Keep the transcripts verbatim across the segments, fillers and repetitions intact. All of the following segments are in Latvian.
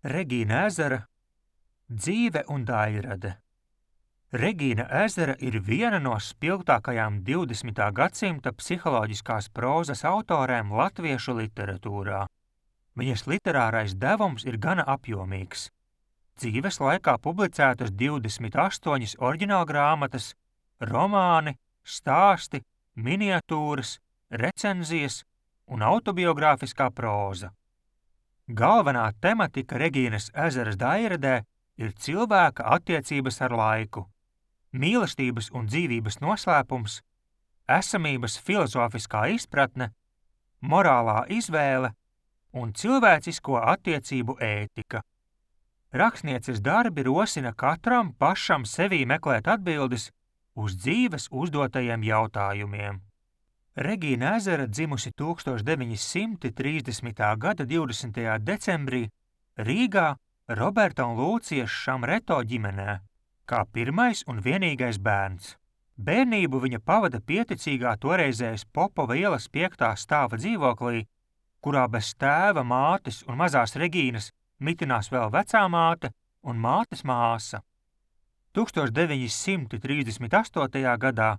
Regīna Ezera dzīve un daļrade. Regīna Ezera ir viena no spilgtākajām divdesmitā gadsimta psiholoģiskās prózas autorēm latviešu literatūrā. Viņas literārais devums ir gana apjomīgs. Dzīves laikā publicētas divdesmit astoņas oriģinālgrāmatas, romāni, stāsti, miniatūras, recenzijas un autobiogrāfiskā próza. Galvenā tematika Regīnas Ezeras daļradē ir cilvēka attiecības ar laiku, mīlestības un dzīvības noslēpums, esamības filozofiskā izpratne, morālā izvēle un cilvēcisko attiecību ētika. Rakstnieces darbi rosina katram pašam sevī meklēt atbildes uz dzīves uzdotajiem jautājumiem. Regīna Ezera dzimusi tūkstoš deviņi simti trīsdesmitā gada divdesmitajā decembrī Rīgā Roberta un Lūcijas Šamreto ģimenē, kā pirmais un vienīgais bērns. Bērnību viņa pavada pieticīgā toreizējas Popova ielas piektā stāva dzīvoklī, kurā bez tēva, mātes un mazās Regīnas mitinās vēl vecā māte un mātes māsa. tūkstoš deviņi simti trīsdesmit astotajā gadā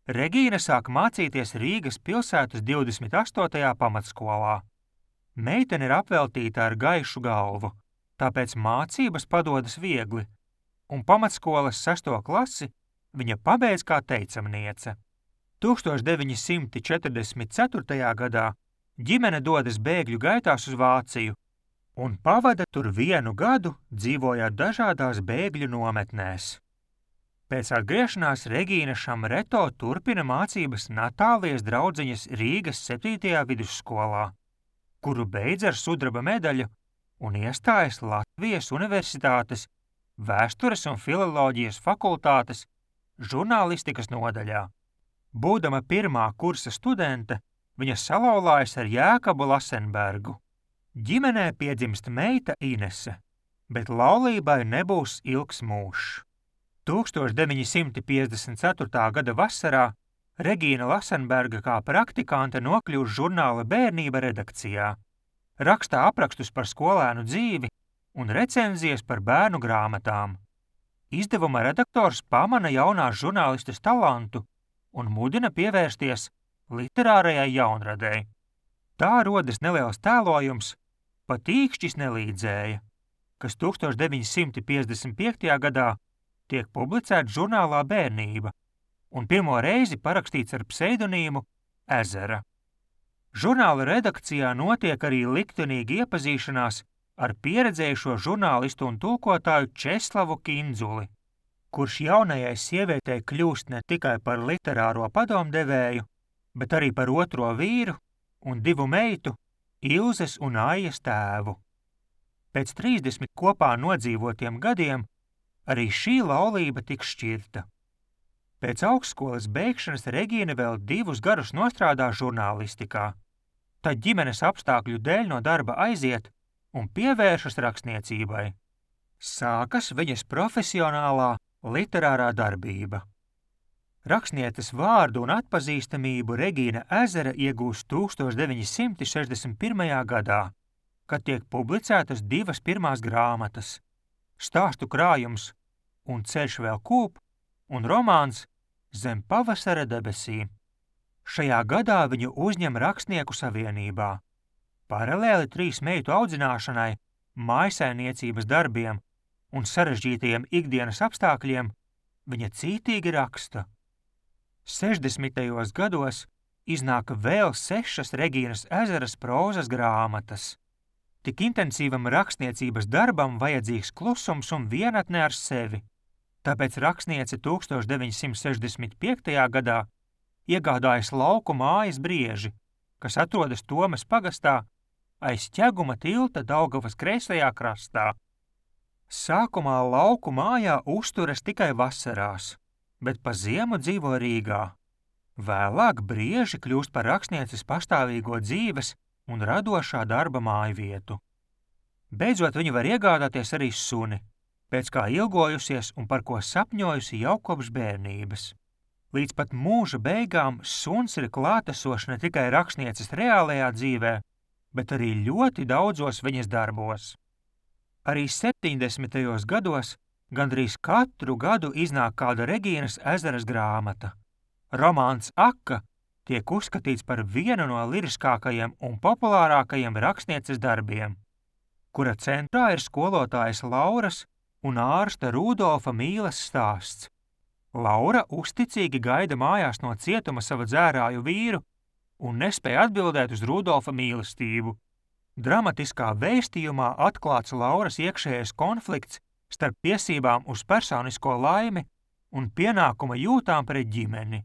Regīna sāk mācīties Rīgas pilsētas divdesmit astotajā pamatskolā. Meitene ir apveltīta ar gaišu galvu, tāpēc mācības padodas viegli, un pamatskolas sesto klasi viņa pabeidz kā teicamniece. tūkstoš deviņi simti četrdesmit ceturtajā gadā ģimene dodas bēgļu gaitās uz Vāciju un pavada tur vienu gadu, dzīvojot dažādās bēgļu nometnēs. Pēc atgriešanās Regīna Šamreto turpina mācības Natālijas draudziņas Rīgas septītajā vidusskolā, kuru beidz ar sudraba medaļu un iestājas Latvijas Universitātes Vēstures un filoloģijas fakultātes žurnālistikas nodaļā. Būdama pirmā kursa studente, viņa salauzājas ar Jēkabu Lasenbergu. Ģimenē piedzimst meita Inese, bet laulībai nebūs ilgs mūžs. tūkstoš deviņi simti piecdesmit ceturtā gada vasarā Regīna Lasenberga kā praktikante nokļūst žurnāla Bērnība redakcijā. Rakstā aprakstus par skolēnu dzīvi un recenzijas par bērnu grāmatām. Izdevuma redaktors pamana jaunās žurnālistes talantu un mudina pievērsties literārajai jaunradei. Tā rodas neliels tēlojums Pat īkšķis nelīdzēja, kas tūkstoš deviņi simti piecdesmit piektajā gadā tiek publicēts žurnālā Bērnība un pirmo reizi parakstīts ar pseidonīmu Ezera. Žurnāla redakcijā notiek arī liktenīga iepazīšanās ar pieredzējušo žurnālistu un tulkotāju Česlavu Kindzuli, kurš jaunajai sievietei kļūst ne tikai par literāro padomdevēju, bet arī par otro vīru un divu meitu, Ilzes un Aijas tēvu. Pēc trīsdesmit kopā nodzīvotiem gadiem arī šī laulība tiks šķirta. Pēc augstskolas beigšanas Regīna vēl divus gadus nostrādā žurnālistikā, tad ģimenes apstākļu dēļ no darba aiziet un pievēršas rakstniecībai. Sākas viņas profesionālā literārā darbība. Rakstnieces vārdu un atpazīstamību Regīna Ezera iegūst tūkstoš deviņi simti sešdesmit pirmajā gadā, kad tiek publicētas divas pirmās grāmatas – stāstu krājums un ceļš vēl kūp un romāns Zem pavasara debesīm. Šajā gadā viņu uzņem Rakstnieku savienībā. Paralēli trīs meitu audzināšanai, mājsaimniecības darbiem un sarežģītajiem ikdienas apstākļiem viņa cītīgi raksta. sešdesmitajos gados iznāk vēl sešas Regīnas Ezeras prózas grāmatas. Tik intensīvam rakstniecības darbam vajadzīgs klusums un vienatne ar sevi, tāpēc rakstniece tūkstoš deviņi simti sešdesmit piektajā gadā iegādājas lauku mājas Brieži, kas atrodas Tomes pagastā aiz Ķeguma tilta Daugavas kreisajā krastā. Sākumā lauku mājā uzturas tikai vasarās, bet pa ziemu dzīvo Rīgā. Vēlāk Brieži kļūst par rakstnieces pastāvīgo dzīves un radošā darba mājvietu. Beidzot viņa var iegādāties arī suni, pēc kā ilgojusies un par ko sapņojusi jau kopš bērnības. Līdz pat mūža beigām suns ir klātesošs ne tikai rakstnieces reālajā dzīvē, bet arī ļoti daudzos viņas darbos. Arī septiņdesmitajos gados gandrīz katru gadu iznāk kāda Regīnas ezeras grāmata. Romāns Aka tiek uzskatīts par vienu no liriskākajiem un populārākajiem rakstnieces darbiem, kura centrā ir skolotājas Lauras un ārsta Rudolfa mīles stāsts. Laura uzticīgi gaida mājās no cietuma savu dzērāju vīru un nespēja atbildēt uz Rudolfa mīlestību. Dramatiskā vēstījumā atklāts Lauras iekšējais konflikts starp tiesībām uz personisko laimi un pienākuma jūtām pret ģimeni.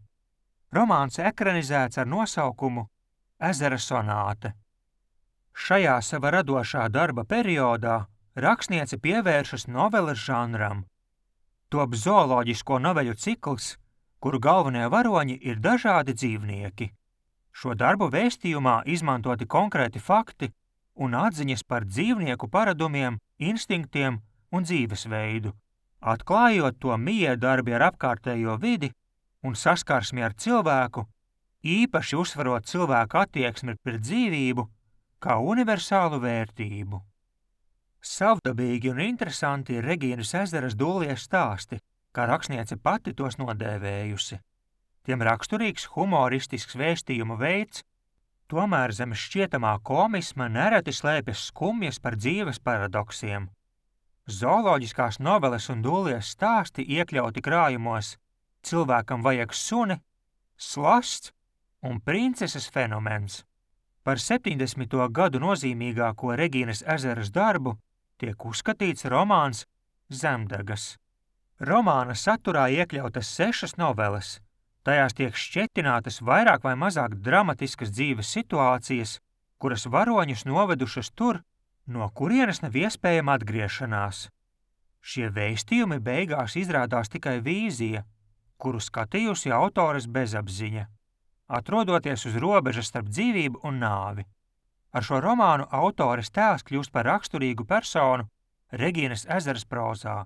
Romāns ekranizēts ar nosaukumu Ezera sonāte. Šajā sava radošā darba periodā rakstniece pievēršas noveles žanram. Top zooloģisko noveļu cikls, kuru galvenie varoņi ir dažādi dzīvnieki. Šo darbu vēstījumā izmantoti konkrēti fakti un atziņas par dzīvnieku paradumiem, instinktiem un dzīvesveidu, atklājot to miedarbi ar apkārtējo vidi un saskarsmi ar cilvēku, īpaši uzsvarot cilvēku attieksmi pret dzīvību kā universālu vērtību. Savdabīgi un interesanti ir Regīnas ezeras dūlies stāsti, kā rakstniece pati tos nodēvējusi. Tiem raksturīgs humoristisks vēstījumu veids, tomēr zem šķietamā komisma nereti slēpjas skumjas par dzīves paradoksiem. Zooloģiskās noveles un dūlies stāsti iekļauti krājumos Cilvēkam vajag suni, Slasts un Princeses fenomens. Par septiņdesmito gadu nozīmīgāko Regīnas ezeras darbu tiek uzskatīts romāns Zemdegas. Romāna saturā iekļautas sešas noveles. Tajās tiek šķetinātas vairāk vai mazāk dramatiskas dzīves situācijas, kuras varoņus novedušas tur, no kurienes nav iespējama atgriešanās. Šie vēstījumi beigās izrādās tikai vīzija, kuru skatījusi autores bezapziņa, atrodoties uz robežas starp dzīvību un nāvi. Ar šo romānu autores tēls kļūst par raksturīgu personu Regīnas ezeras prozā.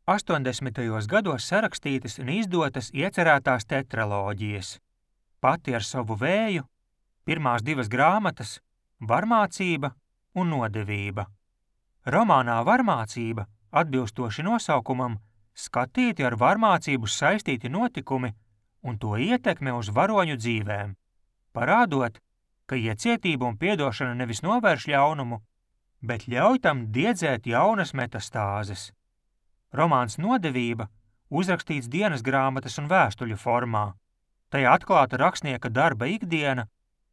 astoņdesmitajos gados sarakstītas un izdotas iecerētās tetraloģijas. Pati ar savu vēju, pirmās divas grāmatas, Varmācība un Nodevība. Romānā Varmācība, atbilstoši nosaukumam, skatīti ar varmācību saistīti notikumi un to ietekme uz varoņu dzīvēm, parādot, ka iecietība un piedošana nevis novērš ļaunumu, bet ļauj tam diedzēt jaunas metastāzes. Romāns Nodevība uzrakstīts dienas grāmatas un vēstuļu formā. Tajā atklāta rakstnieka darba ikdiena,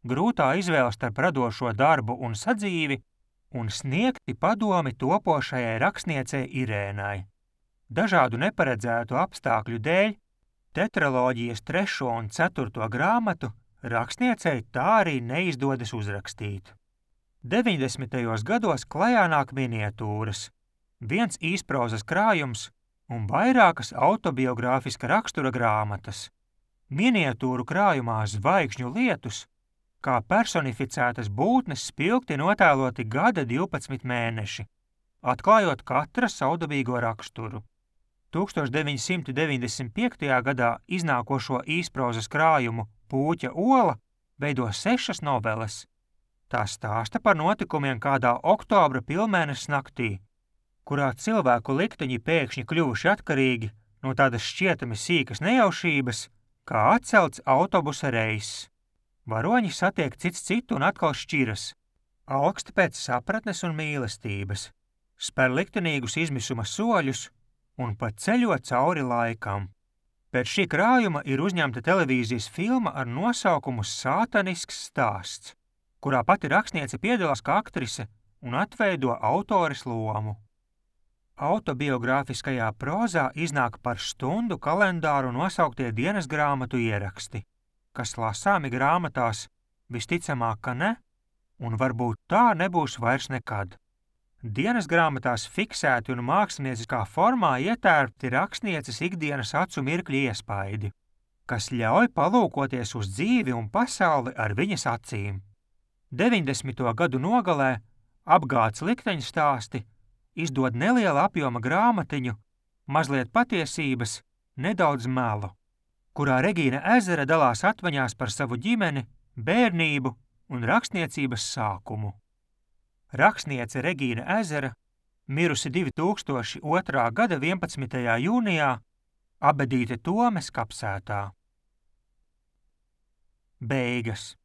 grūtā izvēle starp radošo darbu un sadzīvi un sniegti padomi topošajai rakstniecei Irēnai. Dažādu neparedzētu apstākļu dēļ tetraloģijas trešo un ceturto grāmatu rakstniecei tā arī neizdodas uzrakstīt. deviņdesmitajos gados klajā nāk miniatūras, viens īsprozas krājums un vairākas autobiogrāfiska rakstura grāmatas. Miniatūru krājumā Zvaigžņu lietus, kā personificētas būtnes spilgti notēloti gada divpadsmit mēneši, atklājot katra savdabīgo raksturu. tūkstoš deviņsimt deviņdesmit piektajā gadā iznākošo īsprozas krājumu Pūķa ola veido sešas noveles. Tā stāsta par notikumiem kādā oktobra pilnmēneša naktī, kurā cilvēku likteņi pēkšņi kļuvuši atkarīgi no tādas šķietami sīkas nejaušības, kā atcelts autobusa reiss. Varoņi satiek cits citu un atkal šķiras, augsti pēc sapratnes un mīlestības, spēr liktenīgus izmisuma soļus un pat ceļo cauri laikam. Pēc šī krājuma ir uzņemta televīzijas filma ar nosaukumu Sātanisks stāsts, kurā pati rakstniece piedalās kā aktrise un atveido autores lomu. Autobiogrāfiskajā prozā iznāk par stundu kalendāru nosauktie dienas grāmatu ieraksti, kas lasāmi grāmatās visticamāk, ka ne, un varbūt tā nebūs vairs nekad. Dienas grāmatās fiksēti un mākslinieckā formā ietērpti rakstnieces ikdienas acu mirkļi iespaidi, kas ļauj palūkoties uz dzīvi un pasauli ar viņas acīm. deviņdesmito gadu nogalē Apgādes likteņu stāsti izdod neliela apjoma grāmatiņu, mazliet patiesības, nedaudz melu, kurā Regīna Ezera dalās atmiņās par savu ģimeni, bērnību un rakstniecības sākumu. Rakstniece Regīna Ezera mirusi divi tūkstoši otrā gada vienpadsmitajā jūnijā Abedīte Tomes kapsētā. Beigas.